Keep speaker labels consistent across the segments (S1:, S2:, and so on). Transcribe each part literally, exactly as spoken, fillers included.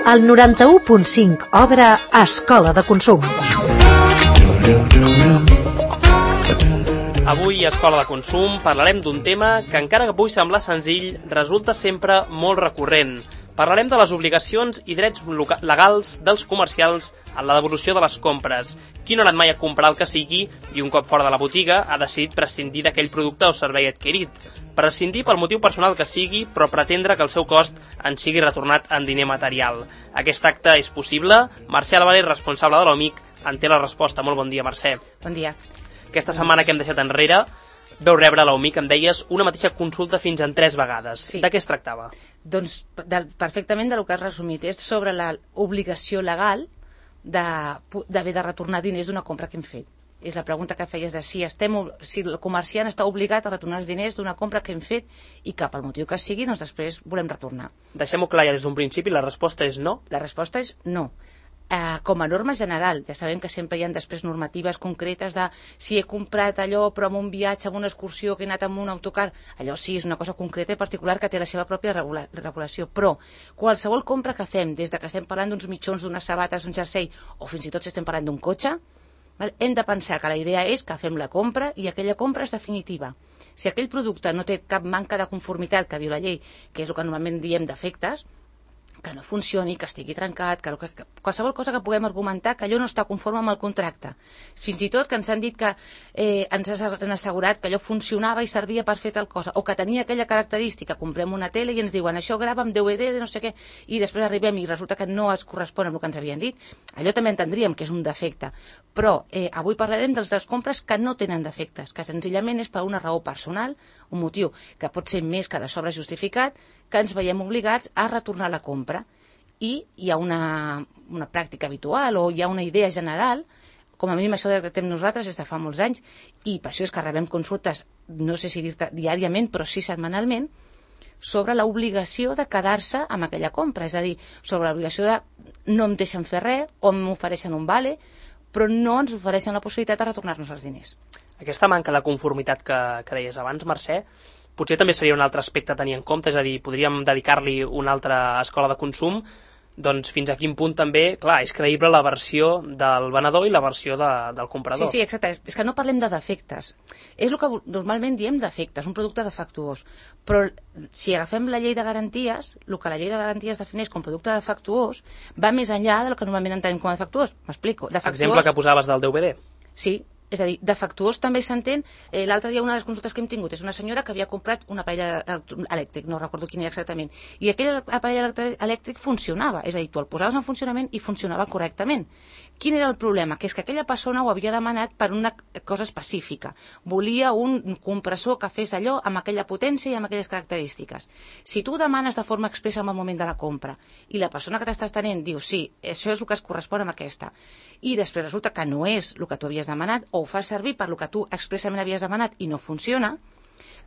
S1: El noranta-u punt cinc obre Escola de Consum.
S2: Avui a Escola de Consum parlarem d'un tema que, encara que pugui semblar senzill, resulta sempre molt recurrent. Parlarem de les obligacions i drets legals dels comercials en la devolució de les compres. Qui no ha anat mai a comprar el que sigui i un cop fora de la botiga ha decidit prescindir d'aquell producte o servei adquirit. Prescindir pel motiu personal que sigui, però pretendre que el seu cost en sigui retornat en diner material. Aquest acte és possible? Mercè Álvarez, responsable de l'O M I C, en té la resposta. Molt bon dia, Mercè.
S3: Bon dia.
S2: Aquesta setmana que hem deixat enrere veu rebre a l'O M I C, em deies, una mateixa consulta fins en tres vegades.
S3: Sí.
S2: De què es tractava?
S3: Doncs de, perfectament del que has resumit. És sobre l'obligació legal d'haver de, de retornar diners d'una compra que hem fet. És la pregunta que feies de si, estem, si el comerciant està obligat a retornar els diners d'una compra que hem fet i que pel motiu que sigui, doncs després volem retornar.
S2: Deixem-ho clar ja des d'un principi, la resposta és no?
S3: La resposta és no. Uh, com a norma general, ja sabem que sempre hi ha després normatives concretes de si he comprat allò però en un viatge, en una excursió, que he anat amb un autocar, allò sí és una cosa concreta i particular que té la seva pròpia regula regulació, però qualsevol compra que fem, des de que estem parlant d'uns mitjons, d'unes sabates, d'un jersei, o fins i tot si estem parlant d'un cotxe, hem de pensar que la idea és que fem la compra i aquella compra és definitiva. Si aquell producte no té cap manca de conformitat que diu la llei, que és el que normalment diem defectes, que no funcioni, que estigui trencat, que, que, que qualsevol cosa que puguem argumentar que allò no està conforme amb el contracte. Fins i tot que ens han dit que eh, ens han assegurat que allò funcionava i servia per fer tal cosa, o que tenia aquella característica, comprem una tele i ens diuen això grava amb D V D de no sé què, i després arribem i resulta que no es correspon amb el que ens havien dit, allò també entendríem que és un defecte. Però eh, avui parlarem dels les compres que no tenen defectes, que senzillament és per una raó personal, un motiu que pot ser més que de sobre justificat, que ens veiem obligats a retornar la compra. I hi ha una, una pràctica habitual o hi ha una idea general, com a mínim això detectem nosaltres des de fa molts anys, i per això és que rebem consultes, no sé si dir-te diàriament, però sí setmanalment, sobre l'obligació de quedar-se amb aquella compra, és a dir, sobre l'obligació de no em deixen fer res o m'ofereixen un vale, però no ens ofereixen la possibilitat de retornar-nos els diners.
S2: Aquesta manca de conformitat que, que deies abans, Mercè, potser també seria un altre aspecte a tenir en compte, és a dir, podríem dedicar-li una altra escola de consum, doncs fins a quin punt també, clar, és creïble la versió del venedor i la versió de, del comprador.
S3: Sí, sí, exacte. És que no parlem de defectes. És el que normalment diem defectes, un producte defectuós. Però si agafem la llei de garanties, el que la llei de garanties defineix com producte defectuós va més enllà del que normalment entenem com a defectuós. M'explico. Defectuós...
S2: Exemple que posaves del D V D.
S3: Sí. És a dir, defectuós també s'entén, eh, l'altre dia una de les consultes que hem tingut és una senyora que havia comprat un aparell elèctric, no recordo quin era exactament, i aquell aparell elèctric funcionava, és a dir, tu el posaves en funcionament i funcionava correctament. Quin era el problema? Que és que aquella persona ho havia demanat per una cosa específica. Volia un compressor que fes allò amb aquella potència i amb aquelles característiques. Si tu ho demanes de forma expressa en el moment de la compra i la persona que t'estàs tenint diu sí, això és el que es correspon amb aquesta, i després resulta que no és el que tu havies demanat o ho fas servir per el que tu expressament havies demanat i no funciona,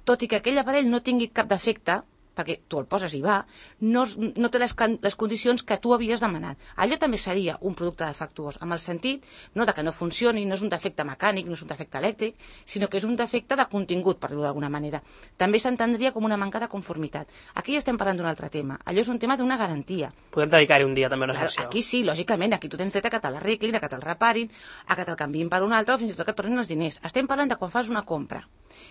S3: tot i que aquell aparell no tingui cap defecte, perquè tu el poses i va, no, no té les, les condicions que tu havies demanat. Allò també seria un producte defectuós, amb el sentit no de que no funcioni, no és un defecte mecànic, no és un defecte elèctric, sinó que és un defecte de contingut, per dir-ho d'alguna manera. També s'entendria com una manca de conformitat. Aquí ja estem parlant d'un altre tema. Allò és un tema d'una garantia.
S2: Podem dedicar-hi un dia també una
S3: Clar,
S2: secció.
S3: aquí sí, lògicament, aquí tu tens dret a que te l'arreglin, a que te'l reparin, a que te'l canviïn per un altre o fins i tot que et tornin els diners. Estem parlant de quan fas una compra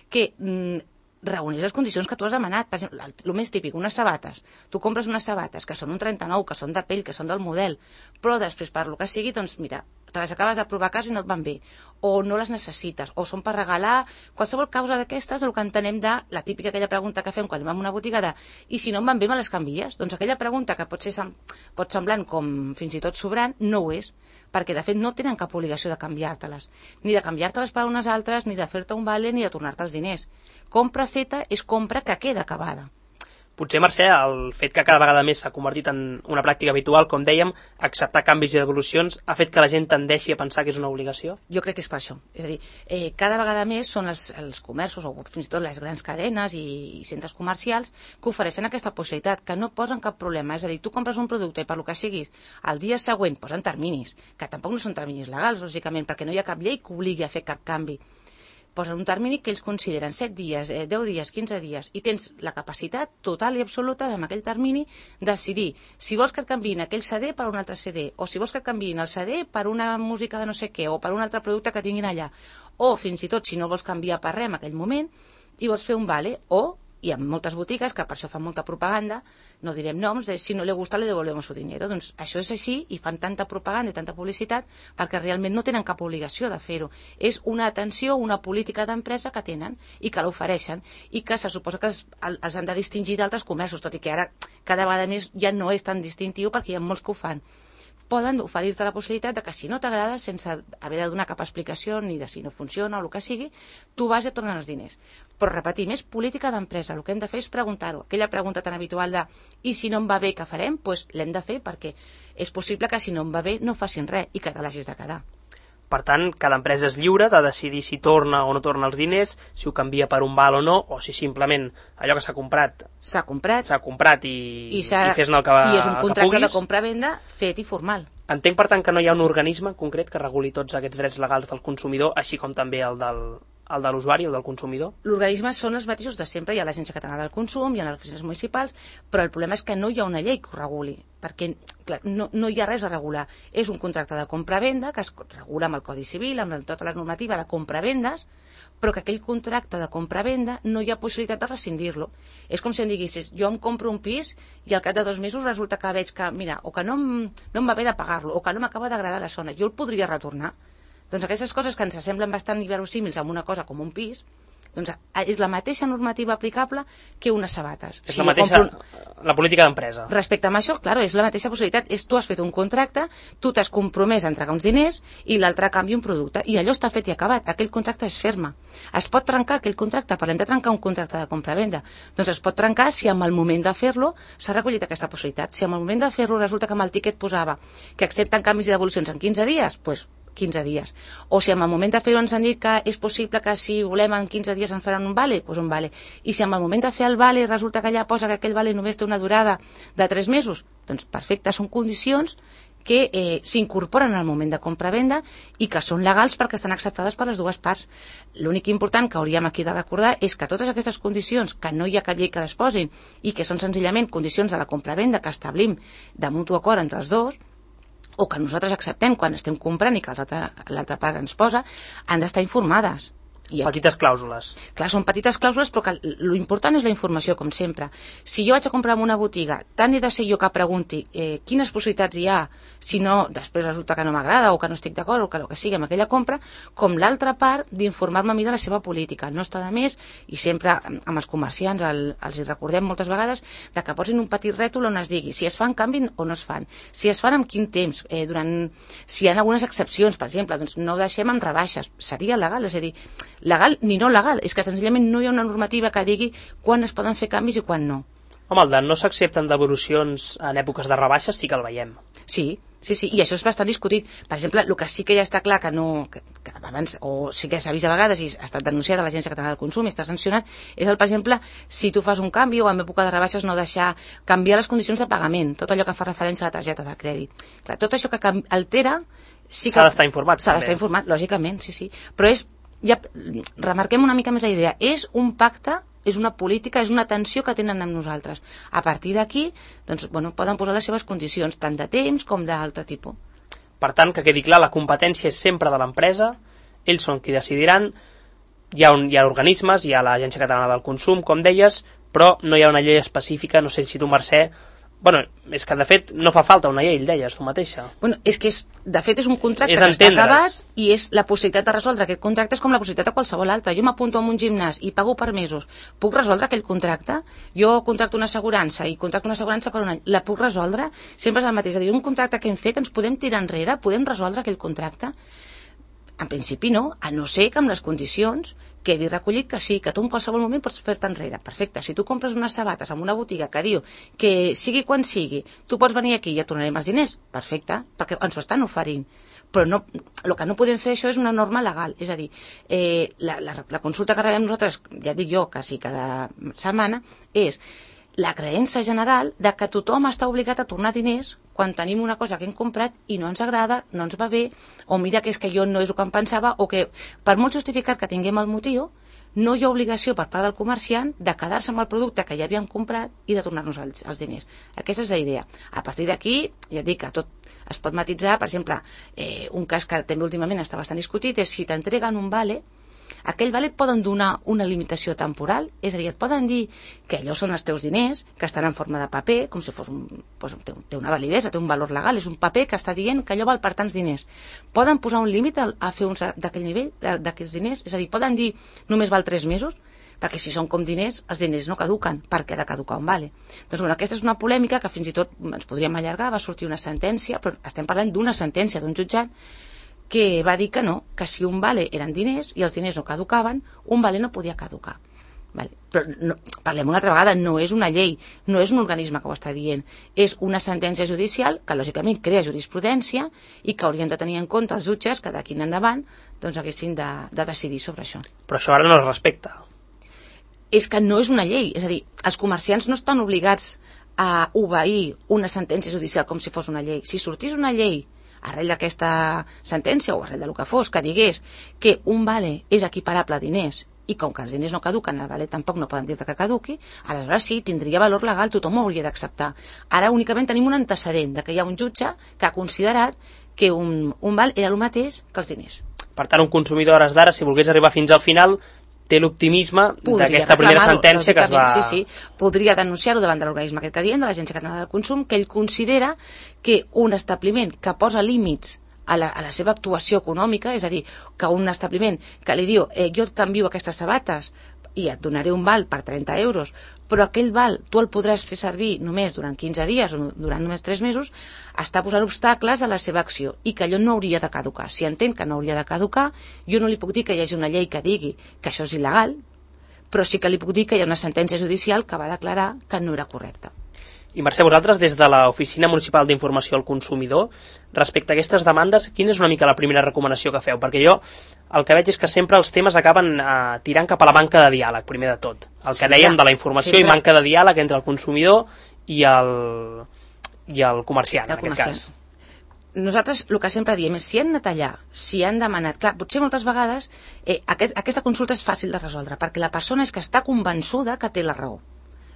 S3: que mm, reuneix les condicions que tu has demanat. Per exemple, el més típic, unes sabates. Tu compres unes sabates que són un trenta-nou, que són de pell, que són del model, però després, per lo que sigui, doncs mira, te les acabes de provar a casa i no et van bé, o no les necessites, o són per regalar, qualsevol causa d'aquestes, el que entenem de la típica aquella pregunta que fem quan anem a una botiga de i si no em van bé me les canvies? Doncs aquella pregunta que pot ser pot semblant com fins i tot sobrant, no ho és, perquè de fet no tenen cap obligació de canviar-te-les, ni de canviar-te-les per unes altres, ni de fer-te un vale, ni de tornar-te els diners. Compra feta és compra que queda acabada.
S2: Potser, Mercè, el fet que cada vegada més s'ha convertit en una pràctica habitual, com dèiem, acceptar canvis i devolucions, ha fet que la gent tendeixi a pensar que és una obligació?
S3: Jo crec que és per això. És a dir, eh, cada vegada més són els, els comerços, o fins i tot les grans cadenes i, i centres comercials, que ofereixen aquesta possibilitat, que no posen cap problema. És a dir, tu compres un producte i per lo que siguis, el dia següent posen terminis, que tampoc no són terminis legals, lògicament, perquè no hi ha cap llei que obligui a fer cap canvi. posen un termini que ells consideren set dies, eh, deu dies, quinze dies, i tens la capacitat total i absoluta amb aquell termini decidir si vols que et canviïn aquell C D per un altre C D, o si vols que et canviïn el C D per una música de no sé què, o per un altre producte que tinguin allà, o fins i tot si no vols canviar per res en aquell moment i vols fer un vale, o hi ha moltes botigues que per això fan molta propaganda, no direm noms, de si no li gusta le devolvemos su dinero. Doncs això és així i fan tanta propaganda i tanta publicitat perquè realment no tenen cap obligació de fer-ho. És una atenció, una política d'empresa que tenen i que l'ofereixen i que se suposa que els, els han de distingir d'altres comerços, tot i que ara cada vegada més ja no és tan distintiu perquè hi ha molts que ho fan. Poden oferir-te la possibilitat de que si no t'agrada, sense haver de donar cap explicació ni de si no funciona o el que sigui, tu vas i et tornen els diners. Però repetim, és política d'empresa. El que hem de fer és preguntar-ho. Aquella pregunta tan habitual de i si no em va bé, què farem? Doncs l'hem de fer perquè és possible que si no em va bé no facin res i que te l'hagis de quedar.
S2: Per tant, cada empresa és lliure de decidir si torna o no torna els diners, si ho canvia per un val o no, o si simplement allò que s'ha comprat
S3: s'ha comprat,
S2: s'ha comprat i,
S3: i,
S2: i fes-ne el que,
S3: i és un contracte de
S2: puguis.
S3: compra-venda fet i formal.
S2: Entenc, per tant, que no hi ha un organisme en concret que reguli tots aquests drets legals del consumidor, així com també el del, el de l'usuari, el del consumidor?
S3: L'organisme són els mateixos de sempre, hi ha l'Agència Catalana del Consum, hi ha les oficines municipals, però el problema és que no hi ha una llei que ho reguli, perquè clar, no, no hi ha res a regular. És un contracte de compra-venda que es regula amb el Codi Civil, amb tota la normativa de compra-vendes, però que aquell contracte de compra-venda no hi ha possibilitat de rescindir-lo. És com si em diguessis, jo em compro un pis i al cap de dos mesos resulta que veig que, mira, o que no em, no em va bé de pagar-lo, o que no m'acaba d'agradar la zona, jo el podria retornar. Doncs aquestes coses que ens semblen bastant inverosímils amb una cosa com un pis, doncs és la mateixa normativa aplicable que unes sabates.
S2: És la mateixa, un... la política d'empresa.
S3: Respecte a això, clar, és la mateixa possibilitat. És, tu has fet un contracte, tu t'has compromès a entregar uns diners i l'altre a canvi un producte. I allò està fet i acabat. Aquell contracte és ferma. Es pot trencar aquell contracte. Parlem de trencar un contracte de compra-venda. Doncs es pot trencar si en el moment de fer-lo s'ha recollit aquesta possibilitat. Si en el moment de fer-lo resulta que amb el tiquet posava que accepten canvis i devolucions en quinze dies, doncs quinze dies. O si en el moment de fer-ho ens han dit que és possible que si volem en quinze dies ens faran un vale, doncs un vale. I si en el moment de fer el vale resulta que allà posa que aquell vale només té una durada de tres mesos, doncs perfecte, són condicions que eh, s'incorporen al moment de compra-venda i que són legals perquè estan acceptades per les dues parts. L'únic important que hauríem aquí de recordar és que totes aquestes condicions, que no hi ha cap llei que les posin i que són senzillament condicions de la compra-venda que establim de mutu acord entre els dos, o que nosaltres acceptem quan estem comprant i que l'altra part ens posa, han d'estar informades.
S2: I petites clàusules.
S3: Clar, són petites clàusules, però que l'important és la informació, com sempre. Si jo vaig a comprar en una botiga, tant he de ser jo que pregunti eh, quines possibilitats hi ha, si no, després resulta que no m'agrada o que no estic d'acord o que el que sigui amb aquella compra, com l'altra part d'informar-me a mi de la seva política. No està de més, i sempre amb els comerciants el, els hi recordem moltes vegades, de que posin un petit rètol on es digui si es fan canvi o no es fan, si es fan amb quin temps, eh, durant, si hi ha algunes excepcions, per exemple, doncs no ho deixem amb rebaixes, seria legal, és a dir, legal ni no legal, és que senzillament no hi ha una normativa que digui quan es poden fer canvis i quan no.
S2: Home, el de no s'accepten devolucions en èpoques de rebaixes sí que el veiem.
S3: Sí, sí, sí, i això és bastant discutit. Per exemple, el que sí que ja està clar que no, que, que abans, o sí que s'ha vist a vegades i ha estat denunciat a l'Agència Catalana del Consum i està sancionat, és el, per exemple, si tu fas un canvi o en època de rebaixes no deixar canviar les condicions de pagament, tot allò que fa referència a la targeta de crèdit. Clar, tot això que altera sí que...
S2: S'ha d'estar informat.
S3: S'ha d'estar informat, lògicament, sí, sí. Però és, ja remarquem una mica més la idea, és un pacte, és una política, és una atenció que tenen amb nosaltres. A partir d'aquí, doncs, bueno, poden posar les seves condicions, tant de temps com d'altre tipus.
S2: Per tant, que quedi clar, la competència és sempre de l'empresa, ells són qui decidiran, hi ha, un, hi ha organismes, hi ha l'Agència Catalana del Consum, com deies, però no hi ha una llei específica, no sé si tu, Mercè, bueno, és que de fet no fa falta una llei, deies tu mateixa.
S3: Bueno, és que és, de fet és un contracte
S2: és
S3: que
S2: entendre's.
S3: Està acabat i és la possibilitat de resoldre aquest contracte és com la possibilitat de qualsevol altra. Jo m'apunto a un gimnàs i pago per mesos. Puc resoldre aquell contracte? Jo contracto una assegurança i contracto una assegurança per un any. La puc resoldre? Sempre és el mateix. És a dir, un contracte que hem fet ens podem tirar enrere? Podem resoldre aquell contracte? En principi no, a no ser que amb les condicions quedi recollit que sí, que tu en qualsevol moment pots fer-te enrere. Perfecte, si tu compres unes sabates en una botiga que diu que sigui quan sigui, tu pots venir aquí i et tornarem els diners, perfecte, perquè ens ho estan oferint. Però no, el que no podem fer això és una norma legal, és a dir, eh, la, la, la consulta que rebem nosaltres, ja dic jo, quasi cada setmana, és la creença general de que tothom està obligat a tornar diners quan tenim una cosa que hem comprat i no ens agrada, no ens va bé, o mira que és que jo no és el que em pensava, o que per molt justificat que tinguem el motiu, no hi ha obligació per part del comerciant de quedar-se amb el producte que ja havíem comprat i de tornar-nos els, els diners. Aquesta és la idea. A partir d'aquí, ja dic que tot es pot matitzar. Per exemple, eh, un cas que també últimament està bastant discutit és si t'entreguen un vale, aquell vale et poden donar una limitació temporal, és a dir, et poden dir que allò són els teus diners, que estan en forma de paper, com si fos un, doncs, té, té una validesa, té un valor legal, és un paper que està dient que allò val per tants diners. Poden posar un límit a, a fer uns d'aquell nivell, d'aquells diners, és a dir, poden dir només val tres mesos, perquè si són com diners, els diners no caduquen, perquè ha de caducar un vale. Doncs bueno, aquesta és una polèmica que fins i tot ens podríem allargar, va sortir una sentència, però estem parlant d'una sentència d'un jutjat que va dir que no, que si un vale eren diners i els diners no caducaven, un vale no podia caducar. Vale. Però no, parlem una altra vegada, no és una llei, no és un organisme que ho està dient, és una sentència judicial que lògicament crea jurisprudència i que haurien de tenir en compte els jutges que d'aquí en endavant doncs, haguessin de, de decidir sobre això.
S2: Però això ara no es respecta.
S3: És que no és una llei, és a dir, els comerciants no estan obligats a obeir una sentència judicial com si fos una llei. Si sortís una llei arrel d'aquesta sentència o arrel del que fos, que digués que un vale és equiparable a diners i com que els diners no caduquen, el vale tampoc no poden dir-te que caduqui, aleshores sí, tindria valor legal, tothom ho hauria d'acceptar. Ara únicament tenim un antecedent de que hi ha un jutge que ha considerat que un, un val era el mateix que els diners.
S2: Per tant, un consumidor a hores d'ara, si volgués arribar fins al final, té l'optimisme d'aquesta primera sentència que es va...
S3: Sí, sí, podria denunciar-ho davant de l'organisme aquest que diem, de l'Agència Catalana del Consum, que ell considera que un establiment que posa límits a la, a la seva actuació econòmica, és a dir, que un establiment que li diu eh, jo et canvio aquestes sabates i et donaré un val per trenta euros, però aquell val tu el podràs fer servir només durant quinze dies o durant només tres mesos, està posant obstacles a la seva acció i que allò no hauria de caducar. Si entén que no hauria de caducar, jo no li puc dir que hi hagi una llei que digui que això és il·legal, però sí que li puc dir que hi ha una sentència judicial que va declarar que no era correcta.
S2: I Mercè, vosaltres des de l'Oficina Municipal d'Informació al Consumidor, respecte a aquestes demandes, quina és una mica la primera recomanació que feu? Perquè jo el que veig és que sempre els temes acaben eh, tirant cap a la manca de diàleg, primer de tot. El que dèiem de la informació sempre. I manca de diàleg entre el consumidor i el, i el comerciant, el en comerciant. Aquest cas.
S3: Nosaltres el que sempre diem és si han de tallar, si han demanat... Clar, potser moltes vegades eh, aquest, aquesta consulta és fàcil de resoldre, perquè la persona és que està convençuda que té la raó.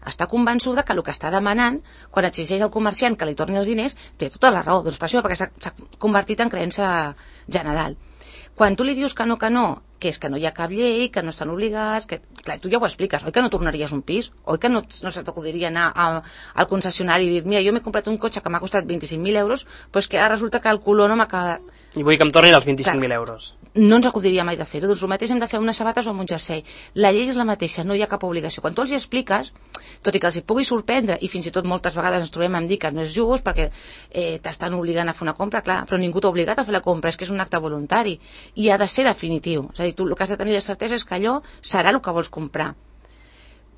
S3: Està convençuda que el que està demanant, quan exigeix al comerciant que li torni els diners, té tota la raó. Doncs per això, perquè s'ha convertit en creença general. Quan tu li dius que no, que no, que és que no hi ha cap llei, que no estan obligats, que clar, tu ja ho expliques, oi que no tornaries un pis? Oi que no, no se t'acudiria anar a, al concessionari i dir, mira, jo m'he comprat un cotxe que m'ha costat vint-i-cinc mil euros, però és que ara resulta que el color no m'acaba...
S2: I vull que em tornin els vint-i-cinc mil euros.
S3: No ens acudiria mai de fer-ho, doncs el mateix hem de fer unes sabates o amb un jersei. La llei és la mateixa, no hi ha cap obligació. Quan tu els hi expliques, tot i que els hi pugui sorprendre, i fins i tot moltes vegades ens trobem amb dir que no és just perquè eh, t'estan obligant a fer una compra, clar, però ningú t'ha obligat a fer la compra, és que és un acte voluntari i ha de ser definitiu. És a dir, tu el que has de tenir la certesa és que allò serà el que vols comprar.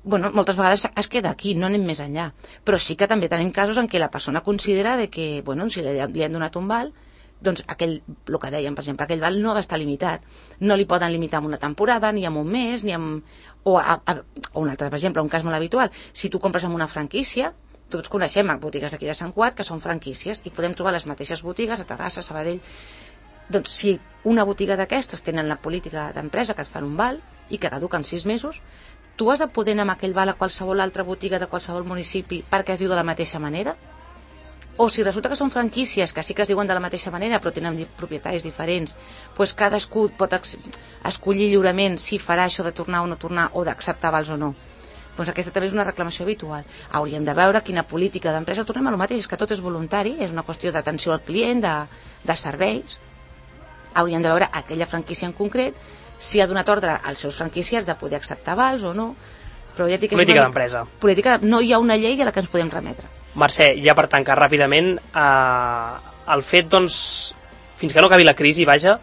S3: Bueno, moltes vegades es queda aquí, no anem més enllà. Però sí que també tenim casos en què la persona considera de que, bueno, si li, li han donat un val, doncs aquell, el que dèiem, per exemple, aquell val no ha d'estar limitat. No li poden limitar en una temporada, ni en un mes, ni en... O, a, a, o un altre, per exemple, un cas molt habitual. Si tu compres en una franquícia, tots coneixem botigues d'aquí de Sant Cugat que són franquícies i podem trobar les mateixes botigues a Terrassa, Sabadell. Doncs si una botiga d'aquestes tenen la política d'empresa que et fan un val i que caduca en sis mesos, tu has de poder anar amb aquell val a qualsevol altra botiga de qualsevol municipi perquè es diu de la mateixa manera? O si resulta que són franquícies que sí que es diuen de la mateixa manera però tenen propietaris diferents, doncs cadascú pot escollir lliurement si farà això de tornar o no tornar o d'acceptar vals o no. Doncs aquesta també és una reclamació habitual. Hauríem de veure quina política d'empresa, tornem a lo mateix, és que tot és voluntari, és una qüestió d'atenció al client, de, de serveis. Hauríem de veure aquella franquícia en concret si ha donat ordre als seus franquiciats de poder acceptar vals o no. Però ja dic que
S2: política d'empresa.
S3: Política, no hi ha una llei a la que ens podem remetre.
S2: Mercè, ja per tancar ràpidament, eh, el fet, doncs, fins que no acabi la crisi, vaja,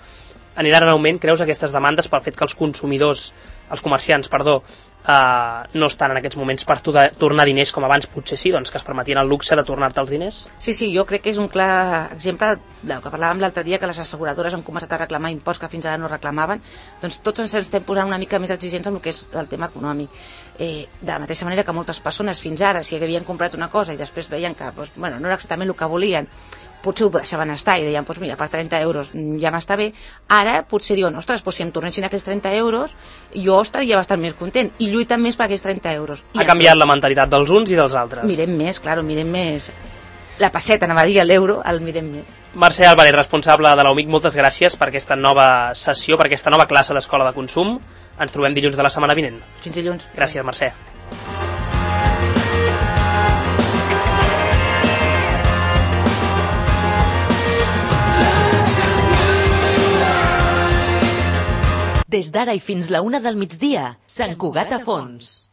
S2: aniran en augment, creus, aquestes demandes pel fet que els consumidors, els comerciants, perdó, Uh, no estan en aquests moments per tornar diners com abans, potser sí, doncs que es permetien el luxe de tornar-te els diners?
S3: Sí, sí, jo crec que és un clar exemple del que parlàvem l'altre dia, que les asseguradores han començat a reclamar imposts que fins ara no reclamaven, doncs tots ens estem posant una mica més exigents amb el que és el tema econòmic. Eh, de la mateixa manera que moltes persones fins ara, si havien comprat una cosa i després veien que doncs, bueno, no era exactament el que volien, potser ho deixaven estar i deien, doncs mira, per trenta euros ja m'està bé. Ara potser diuen, ostres, doncs si em tornessin aquells trenta euros, jo estaria bastant més content i lluiten més per aquells trenta euros.
S2: I ha canviat la mentalitat dels uns i dels altres.
S3: Mirem més, claro, mirem més. La passeta, anava a dir, l'euro, el mirem més.
S2: Mercè Álvarez, responsable de l'U M I C, moltes gràcies per aquesta nova sessió, per aquesta nova classe d'Escola de Consum. Ens trobem dilluns de la setmana vinent.
S3: Fins dilluns.
S2: Gràcies, Mercè.
S4: Des d'ara i fins la una del migdia, Sant Cugat a fons.